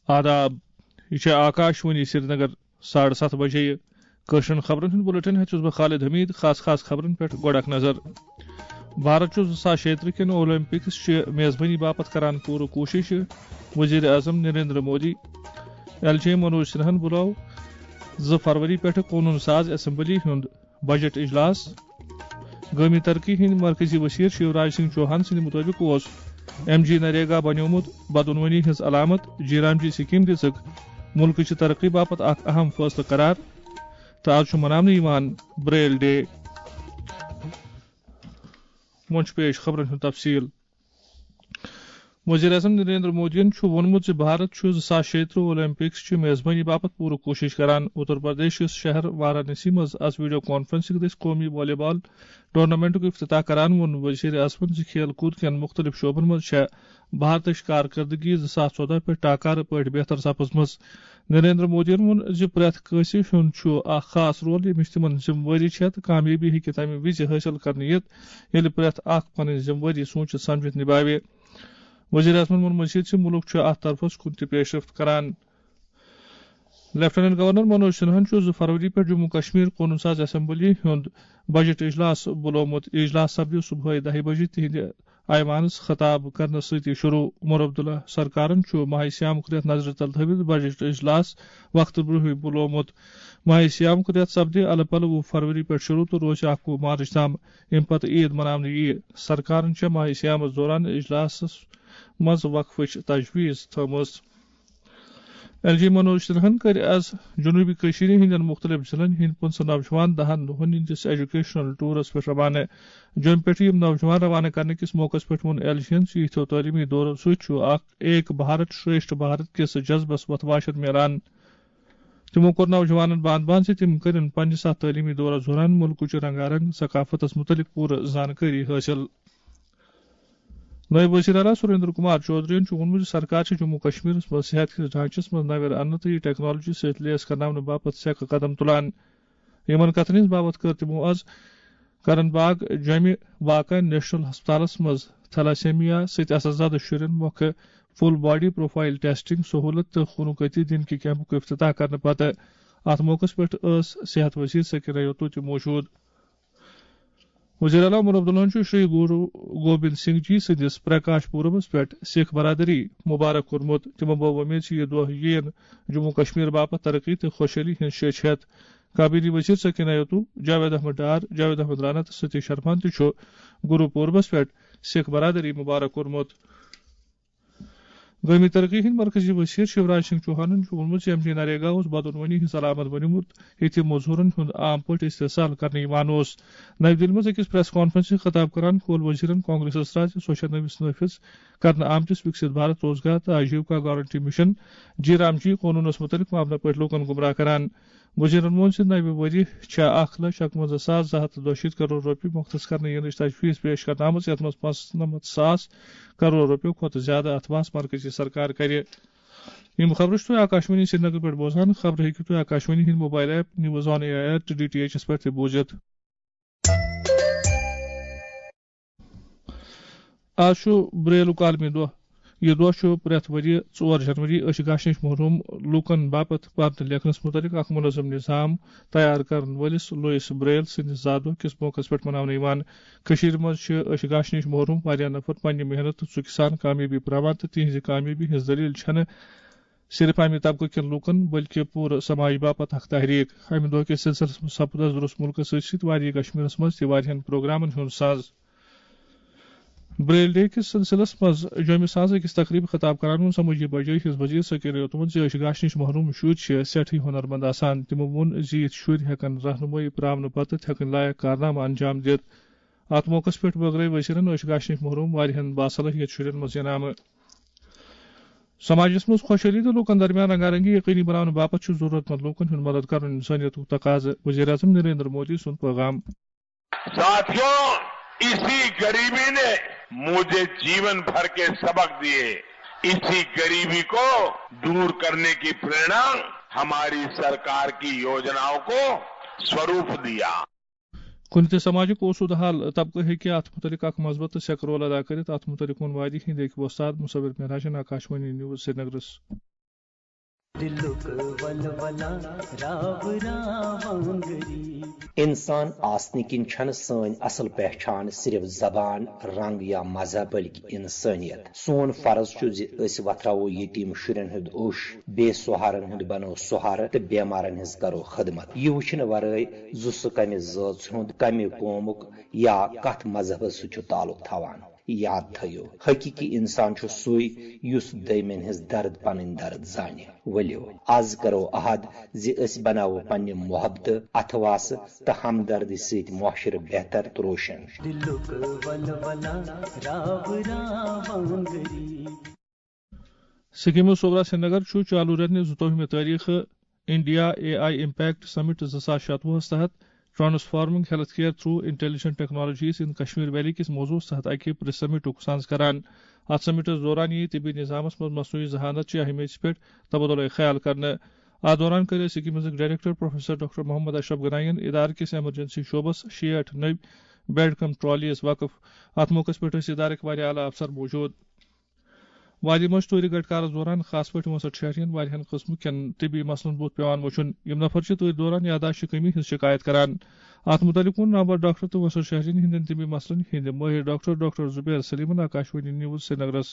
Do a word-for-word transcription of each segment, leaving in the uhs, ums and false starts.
آداب، یہِ چھےٚ آکاش وانی سرینگر۔ ساڑٕ ستھ بجے یہِ کٲشرٮ۪ن خبرن ہُنٛد بُلٹن ہٮ۪تھ چھُس بہٕ خالد حمید۔ خاص خاص خبرن پٮ۪ٹھ گۄڈٕ اکھ نظر۔ بھارت چھُ زٕ ساس شیٚیہِ ترٕہ کٮ۪ن اولمپکس چہِ میزبٲنی باپتھ کران پوٗرٕ کوٗشش۔ وزیر اعظم نریندر مودی، ایل جے منوج سنہاہن بُلٲو زٕ فروری پٮ۪ٹھٕ قونوٗن ساز اسمبلی ہُنٛد بجٹ اجلاس۔ گٲمی ترقی ہٕنٛدۍ مرکزی وزیر شیوراج سنگھ چوہان سٕنٛدِ مُطٲبِق اوس ایم جی نریگا بنیومُت بدعنوٲنی ہٕنٛز علامت۔ جی رام جی سکیٖم دِژٕکھ مُلکٕچہِ ترقی باپتھ اکھ اہم فٲصلہٕ قرار تہٕ از چھُ مناونہٕ یِوان بریل ڈے۔ وۄنۍ چھُ پیش خبرن ہُنٛد تفصیل۔ وزیر اعظم نریندر مودیَن چھُ ووٚنمُت زِ بھارت چھُ زٕ ساس شیٚیہِ ترٕہ اولمپکس چہِ میزبٲنی باپتھ پوٗرٕ کوٗشش کران۔ اتر پردیش کِس شہر وارانسی منٛز از ویڈیو کانفرنسنگ دٔسۍ قومی والی بال ٹورنامنٹُک افتتاح کران ووٚن وزیر اعظمَن زِ کھیل کوٗد کٮ۪ن مُختٔلِف شعبن منٛز چھےٚ بھارتٕچ کارکردگی زٕ ساس ژۄدہ پٮ۪ٹھ ٹاکارٕ پٲٹھۍ بہتر سپٕزمٕژ۔ نریندر مودیَن ووٚن زِ پرٛٮ۪تھ کٲنٛسہِ ہُنٛد چھُ اکھ خاص رول، ییٚمِس تِمن ذمہٕ وٲری چھےٚ تہٕ کامیٲبی ہیٚکہِ تَمہِ وِزِ حٲصِل کرنہٕ یِتھ، ییٚلہِ پرٛٮ۪تھ اکھ پنٕنۍ ذمہٕ وٲری سوٗنچِتھ سمجھِتھ نِبھاوِ۔ وزیر اعظمَن ووٚن مزید زِ مُلُک چھُ اتھ طرفس کُن تہِ پیشرفت کران۔ لیفٹیننٹ گورنر منوج سنہاہن چھُ زٕ فروری پٮ۪ٹھ جموں کشمیر قونوٗن ساز اسمبلی ہُنٛد بجٹ اجلاس بُلومُت۔ اجلاس سپدِ صبحٲے دَہہِ بجہِ تِہنٛدِ ایوانس خطاب کرنہٕ سۭتی شروع۔ عمر عبداللہ سرکارن چھُ ماہ سیامُک رٮ۪تھ نظرِ تل تھٲوِتھ بجٹ اجلاس وقتہٕ برونٛہٕے بُلومُت۔ ماہ سیامُک رٮ۪تھ سپدِ الہٕ پلہٕ وُہ فروری پٮ۪ٹھ شروع تہٕ روزِ اکوُہ مارچ تام۔ اَمہِ پتہٕ عید مناونہٕ یِیہِ۔ سرکارن چھےٚ ماہ سیامس دوران اجلاسس منٛز وقفٕچ تجویز تھٲومٕژ۔ ایل جی منوج سنہاہن کٔرۍ از جنوبی کٔشیٖرِ ہٕنٛدٮ۪ن مُختٔلِف ضلعن ہٕنٛدۍ پٕنٛژٕہ نوجوان دَہن دۄہن ہٕنٛدِس ایجوکیشنل ٹورس پٮ۪ٹھ روانہٕ۔ جوٚمہِ پٮ۪ٹھ یِم نوجوان روانہٕ کرنہٕ کِس موقعس پٮ۪ٹھ ووٚن ایل جی یَن زِ یِتھیو تعلیمی دورو سۭتۍ چھُ اکھ ایک بھارت شریشٹھ بھارت کِس جذبس وۄتھٕ واشر میلان۔ تِمو کوٚر نوجوانن باندھ باندھ زِ تِم کٔرِن پننِس اتھ تعلیمی دورس دوران مُلکٕچہِ رنگا رنگ ثقافتس مُتعلق پوٗرٕ زانکٲری حٲصِل۔ نٲیِب وزیر اعلیٰ سریندر کمار چودھرین چھُ ووٚنمُت زِ سرکار چھِ جموں کشمیرس منٛز صحت کِس ڈھانچس منٛز نوٮ۪ر اننہٕ تہٕ یہِ ٹیکنالوجی سۭتۍ لیس کرناونہٕ باپتھ سیٚکہٕ قدم تُلان۔ یِمن کتھن ہٕنٛز باوتھ کٔر تِمو از کرن باغ جوٚمہِ واقع نیشنل ہسپتالس منٛز تھیلاسیمیا سۭتۍ اثر زدٕ شُرٮ۪ن مۄکھٕ فل باڈی پروفائل ٹیسٹنگ سہولت تہٕ خونُک عطیہ دِنہٕ کہِ کیمپُک افتتاح کرنہٕ پتہٕ۔ اتھ موقعس پٮ۪ٹھ ٲس صحت وزیر سکینہ یوتو تہِ موجود۔ وزیر اعلیٰ عمر عبداللہن چھُ شری گرو گوبند سنگھ جی سٕنٛدِس پرکاش پوربس پٮ۪ٹھ سکھ برادری مبارک کوٚرمُت۔ تِمو بٲو وۄمید زِ یہِ دۄہ یِیَن جموں کشمیر باپتھ ترقی تہٕ خۄشحٲلی ہٕنٛز شیٚچھ ہٮ۪تھ۔ کابینی وزیر سکینہ یوتو، جاوید احمد ڈار، جاوید احمد رانا تہٕ ستیش شرمان تہِ چھُ گرو پوربس پٮ۪ٹھ سکھ برادری مبارک کوٚرمُت۔ گٲمی ترقی ہٕنٛدۍ مرکزی وزیر شیوراج سنگھ چوہانن چھُ ووٚنمُت زِ ایم جی نریگا اوس بدعنوانی ہٕنٛز علامت بنیومُت، ییٚتہِ مزوٗرن ہُنٛد عام پٲٹھۍ استحصال کرنہٕ یِوان اوس۔ نَوِ دِلہِ منٛز أکِس پریس کانفرنسہِ خطاب کران کھول وزیرن کانگریسس رازِ سۄ چھےٚ نٔوِس نٲفذ کرنہٕ آمتِس وِکسِت بھارت روزگار تہٕ آجیوکا گارنٹی مشن جی رام جی قونوٗنس مُتعلق معاملہٕ پٲٹھۍ لوٗکن گمراہ کران۔ وزیرن ووٚن زِ نَوِ ؤری چھےٚ اکھ لچھ اَکہٕ وَنٛزاہ ساس زٕ ہَتھ تہٕ دۄشیٖتھ کرور رۄپیہِ مۄختص کرنہٕ یِنٕچ تجویز پیش کرنہٕ آمٕژ، یَتھ منٛز پانٛژنَمتھ ساس کرور رۄپیو کھۄتہٕ زیادٕ اتھواس مرکزی سرکار کرِ۔ یِم خبرٕ چھِو تُہۍ آکاشوانی سرینگر پٮ۪ٹھ بوزان۔ خبرٕ ہیٚکِو تُہۍ آکاشوانی ہٕنٛدۍ mobile app news on A I R تہٕ ڈی ٹی ایچ ایس پٮ۪ٹھ تہِ بوٗزِتھ۔ آز چھُ بریلُک عالمی دۄہ۔ یہِ دۄہ چھُ پرٛٮ۪تھ ؤرۍ یہِ ژور جنوری أچھ گاش نِش محروم لوٗکن باپتھ پرنہٕ لیکھنَس مُتعلِق اکھ منظم نظام تیار کرن وٲلِس لوئس بریل سٕنٛدِس زا دۄہ کِس موقعس پٮ۪ٹھ مناونہٕ یِوان۔ کٔشیٖرِ منٛز چھِ أچھ گاش نِش محروم واریاہ نفر پننہِ محنت تہٕ ژُکہِ سان کامیٲبی پراوان تہٕ تِہنٛزِ کامیٲبی ہٕنٛز دٔلیٖل چھَنہٕ صرف اَمہِ طبقہٕ کٮ۪ن لوٗکن، بلکہِ پوٗرٕ سماجہِ باپتھ اکھ تحریک۔ اَمہِ دۄہ کِس سلسلس منٛز سپُد اَسہِ درست مُلکس سۭتۍ سۭتۍ وادی کشمیرس منٛز تہِ واریاہن پروگرامن ہُنٛد ساز۔ بریل ڈے کِس سلسلس منٛز جوٚمہِ ساز أکِس تقریبہِ خطاب کران ووٚن سمٲجی بجٲیی ہٕنٛز وزیر سکینہ یوتمن زِ أچھ گاش نِش محروم شُرۍ چھِ سٮ۪ٹھٕے ہُنرمند آسان۔ تِمو ووٚن زِ یِتھۍ شُرۍ ہٮ۪کن رہنمٲیی پراونہٕ پتہٕ تہِ ہٮ۪کن لایق کارنامہٕ انجام دِتھ۔ اتھ موقعس پٮ۪ٹھ بٲگرٲوۍ وزیرن أچھ گاش نِش محروم واریاہن باصلاحیت شُرٮ۪ن منٛز انعامہٕ۔ سماجس منٛز خۄشحٲلی تہٕ لوٗکن درمیان رنگارنگی یقینی بناونہٕ باپتھ چھُ ضروٗرت مند لوٗکن ہُنٛد مدد کرُن انسٲنیتُک تقاضہٕ، وزیر اعظم نریندر مودی سُنٛد پیغام۔ ساتھیوں، اسی गरीबी ने मुझे जीवन भर के सबक दिए। इसी गरीबी को दूर करने की प्रेरणा हमारी सरकार की योजनाओं को स्वरूप दिया। کُنہِ تہِ سماجُک اوسوٗدٕ حال طبقہٕ ہیٚکہِ اَتھ مُتعلِق اکھ مثبت تہٕ سیٚکہٕ رول ادا کٔرِتھ۔ اَتھ مُتعلِق ووٚن وادی ہِنٛدۍ أکۍ وۄستاد مُصور معراجن آکاشوانی نیوز سرینگرس۔ دِلُک ولولہ راو راوانگری۔ انسان آسنہٕ کِنۍ چھنہٕ سٲنۍ اصل پہچان صرف زبان، رنگ یا مذہب، بلکہِ انسٲنیت۔ سون فرض چھُ زِ أسۍ وۄتھراوو یتیٖم شُرٮ۪ن ہُنٛد اوٚش، بے سہارن ہُنٛد بنو سہارٕ تہٕ بیمارن ہٕنٛز کرو خدمت۔ یہِ وٕچھنہٕ ورٲے زِ سُہ کمہِ زٲژ ہُنٛد، کمہِ قومُک یا کتھ مذہبس سۭتۍ چھُ تعلق تھاوان۔ یاد تھٲیِو، حقیقی انسان چھُ سُے یُس دوٚیمٮ۪ن ہٕنٛز درد پنٕنۍ درد زانہِ۔ ؤلِو، از کرو عہد زِ أسۍ بناوو پننہِ محبتہٕ، اتھواسہٕ تہٕ ہمدردی سۭتۍ معاشرٕ بہتر تہٕ روشن۔ دِلُک ولولہ راو راوانگری۔ سکیمو صوبہ سرینگر چھُ چالو رٮ۪تہٕ نہِ زٕتووُہمہِ تٲریخہٕ انڈیا اے آئی امپیکٹ سمٹ زٕ ساس شتوُہس تحت Transforming Healthcare Through Intelligent Technologies in Kashmir Valley کِس موضوعس تحت اکہِ پریس سمٹُک سانز کران۔ اتھ سمٹس دوران یِیہِ طبی نظامس منٛز مصنوعی ذہانت چہِ اہمیت پٮ۪ٹھ تبادلہ خیال کرنہٕ۔ اتھ دوران کٔر سکیمزٕکۍ ڈائریکٹر پروفیسر ڈاکٹر محمد اشرف گناین ادارٕ کِس ایمرجنسی شعبس شیٹھ نٔوۍ بیڈ کم ٹرالیز وقف۔ اتھ موقعس پٮ۪ٹھ ٲسۍ ادارٕکۍ واریاہ اعلیٰ افسر موجود۔ وادی منٛز چھِ تۭرِ گڑھ کارس دوران خاص پٲٹھۍ وٲنٛسٹھ شہرین واریاہن قٕسمہٕ کٮ۪ن طبی مسلن بُتھ پٮ۪وان وٕچھُن۔ یِم نفر چھِ تۭرِ دوران یاداشت کمی ہٕنٛز شکایت کران۔ اتھ مُتعلق ووٚن نامور ڈاکٹر تہٕ وٲنٛسٹھ شہرین ہٕنٛدٮ۪ن طبی مسلن ہٕنٛدِ مٲہِر ڈاکٹر ڈاکٹر زبیر سلیمن آکاشوانی نیوز سرینگرس۔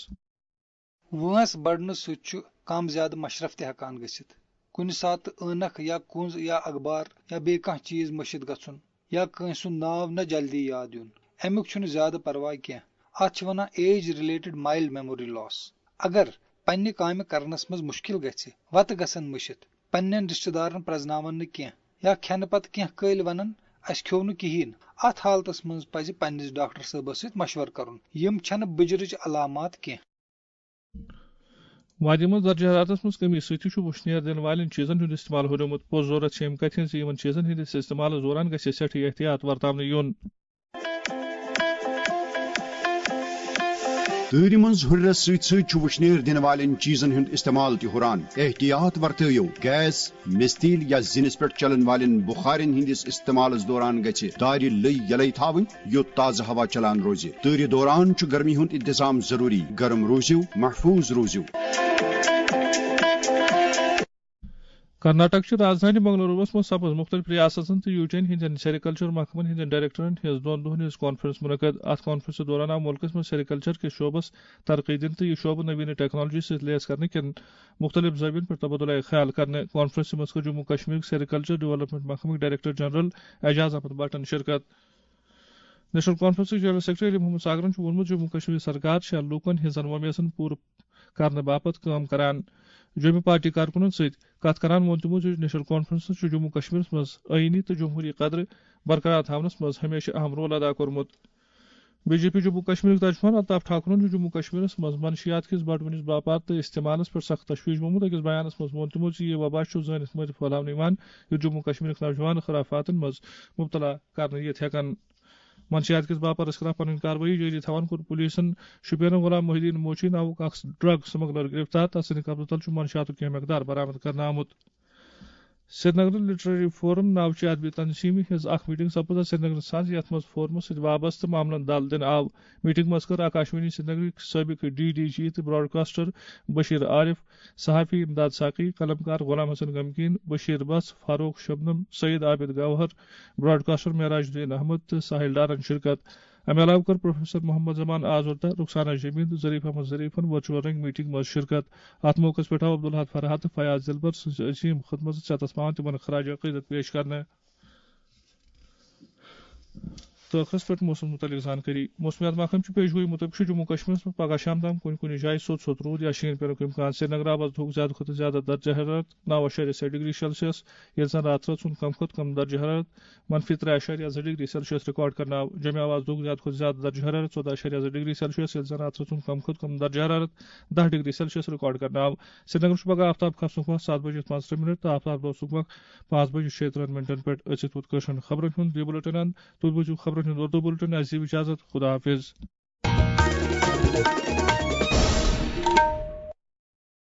وٲنٛس بڑنہٕ سۭتۍ چھُ کم زیادٕ مشرف تہِ ہٮ۪کان گٔژھِتھ۔ کُنہِ ساتہٕ عٲنکھ یا کُنٛز یا اخبار یا بیٚیہِ کانٛہہ چیٖز مٔشِتھ گژھُن یا کٲنٛسہِ ہُنٛد ناو نہ جلدی یاد یُن، امیُک چھُنہٕ زیادٕ پرواے کینٛہہ۔ اتھ چھِ ونان ایج رِلیٹڈ مایلڈ میموری لاس۔ اگر پننہِ کامہِ کرنس منٛز مُشکل گژھِ، وتہٕ گژھن مٔشِتھ، پننٮ۪ن رشتہٕ دارن پرزناون نہٕ کینٛہہ یا کھٮ۪نہٕ پتہٕ کینٛہہ کٲلۍ ونن، "اسہِ کھیوٚو نہٕ کِہیٖنۍ"، اتھ حالتس منٛز پزِ پننِس ڈاکٹر صٲبس سۭتۍ مشورٕ کرُن۔ یِم چھنہٕ بُجرٕچ علامات کینٛہہ۔ وادی منٛز درجہ حرارتس منٛز کمی سۭتۍ چھُ وُشنیر دِنہٕ والٮ۪ن چیٖزن ہُنٛد استعمال ہُریومُت۔ پوٚز ضروٗرت چھِ اَمہِ کتھِ ہٕنٛز زِ یِمن چیٖزن ہٕنٛدِس استعمالس دوران گژھِ سٮ۪ٹھٕے احتیاط ورتاونہٕ یُن۔ تۭرِ منٛز ہُرٮ۪رس سۭتۍ سۭتۍ چھُ وُشنیر دِنہٕ والٮ۪ن چیٖزن ہُنٛد استعمال تہِ ہُران۔ احتیاط ورتٲیِو، گیس، مِستیٖل یا زِنِس پٮ۪ٹھ چلن والٮ۪ن بُخارٮ۪ن ہٕنٛدِس استعمالس دوران گژھِ دارِ لٔۍ یلے تھاوٕنۍ، یوٚت تازٕ ہوا چلان روزِ۔ تۭرِ دوران چھُ گرمی ہُنٛد انتظام ضروٗری۔ گرم روٗزِو، محفوٗظ روٗزِو۔ کرناٹک چہِ رازدھانی بنگلوروَس منٛز سپٕز مُختٔلِف ریاستن تہٕ یوٗٹین ہٕنٛدٮ۪ن سیریکلچر محکمن ہٕنٛدٮ۪ن ڈائریکٹرن ہٕنٛز دۄن دۄہن ہٕنٛز کانفرنس منعقد۔ اتھ کانفرنسہِ دوران آو مُلکس منٛز سیریکلچر کِس شعبس ترقی دِنہٕ تہٕ یہِ شعبہٕ نوینہٕ ٹیکنالوجی سۭتۍ لیس کرنہٕ کٮ۪ن مُختٔلِف زٲوین پٮ۪ٹھ تبادلہ خیال کرنہٕ۔ کانفرنسہِ منٛز کٔر جموں کشمیرُک سیریکلچر ڈیولپمنٹ محکمٕکۍ ڈائریکٹر جنرل اعجاز احمد بٹن شرکت۔ نیشنل کانفرنسٕکۍ جنرل سیکرٹری علی محمد ساگرن چھُ ووٚنمُت، جموں کشمیر سرکار چھےٚ لوٗکن ہٕنٛزن وۄمیزن پوٗرٕ کرنہٕ باپتھ کٲم کران۔ جوٚمہِ پارٹی کارکُنن سۭتۍ کتھ کران ووٚن تِمو زِ نیشنل کانفرنسن چھُ جموں کشمیرس منٛز آئینی تہٕ جمہوری قدرٕ برقرار تھاونس منٛز ہمیشہٕ اہم رول ادا کوٚرمُت۔ بی جے پی جموں کشمیرٕکۍ ترجمان الطاف ٹھاکرن چھُ جموں کشمیرس منٛز منشیات کِس بڑوٕنِس باپار تہٕ استعمالس پٮ۪ٹھ سخت تشویش گوٚمُت۔ أکِس بیانس منٛز ووٚن تِمو زِ یہِ وبا چھُ زٲنِتھ مٲنِتھ پھٔہلاونہٕ یِوان، یُتھ جموں کشمیرٕکۍ نوجوان خرافاتن منٛز مبتلا کرنہٕ یِتھ ہٮ۪کن۔ منشیات کِس باپارس خلاف پنٕنۍ کاروٲیی جٲری تھاوان کوٚر پولیسن شوپینُک غلام محی الدین موچی ناوُک اکھ ڈرگ سمگلر گرفتار۔ تس سٕنٛدِ قبضہٕ تل چھُ منشیاتُک کینٛہہ مقدار برآمد کرنہٕ آمُت۔ سرینگر لٹریری فورم ناوچہِ ادبی تنظیمہِ ہٕنٛز اکھ میٹنگ سپٕز آز سرینگرس منٛز، یتھ منٛز فورمس سۭتۍ وابستہٕ معاملن دل دِنہٕ آو۔ میٹنگ منٛز کٔر آکاشوانی سرینگرٕکۍ سٲبق ڈی ڈی جی تہٕ براڈکاسٹر بشیر عارف، صحافی امداد ساقی، قلمکار غلام حسن غمگین، بشیر بس، فاروق شبنم، سید عابد گوہر، براڈکاسٹر معراج الدین احمد تہٕ ساحل ڈارن شرکت۔ امہِ علاوٕ کٔر پروفیسر محمد زمان آزردہ، رخسانہ جمیل تہٕ ظریف احمد ظریفن ورچوئل رنگ میٹنگ منٛز شرکت۔ اتھ موقعس پٮ۪ٹھ آو عبدالحد فرحات تہٕ فیاض دلبر سٕنٛز عظیم خدمژ ژٮ۪تس پاوان تِمن خراج عقیدت پیش کرنہٕ۔ تہٕ ٲخرس پٮ۪ٹھ موسم مُتعلق زانکٲری۔ موسمیات محکمہٕ چہِ پیشگویی مُطٲبِق چھُ جموں کشمیرس منٛز پگہہ شام تام کُنہِ کُنہِ جایہِ سوٚت سوٚت روٗد یا شیٖن پینُک امکان۔ سرینگر آو آز دُہُک زیادٕ کھۄتہٕ زیادٕ درجہ حرارت نَو اَشاریہ شےٚ ڈگری سیلسیس، ییٚلہِ زَن راتہٕ رٲژ ہُنٛد کم کھۄتہٕ کم درجہ حرارت منفی ترٛےٚ اَشاریہ زٕ ڈگری سیلسیس ریکارڈ کرنہٕ آو۔ جوٚمہِ آو آز دُہُک زیادٕ کھۄتہٕ زیادٕ درجہ حرارت ژۄداہ اَشاریہ زٕ ڈگری سیلسیس، ییٚلہِ زَن راتہٕ رٲژ ہُنٛد کم کھۄتہٕ کم درجہ حرارت دَہ ڈگری سیلسیس ریکارڈ کرنہٕ آو۔ سرینگر چھُ پگہہ آفتاب کھسنُک وقت ستھ بجے پانٛژترٕہ منٹ تہٕ آفتاب لوسنُک وقت پانٛژھ بجے شیٚیہِ ترٕٛہن منٹن پٮ۪ٹھ۔ أژِتھ ووت کٲشرٮ۪ن خبرن ہُنٛد یہِ بُلٹن اند۔ تُہۍ بوٗزِو خبرن ہُنٛد اردو بُلٹن۔ اَسہِ دِیِو اجازت۔ خدا حافظ۔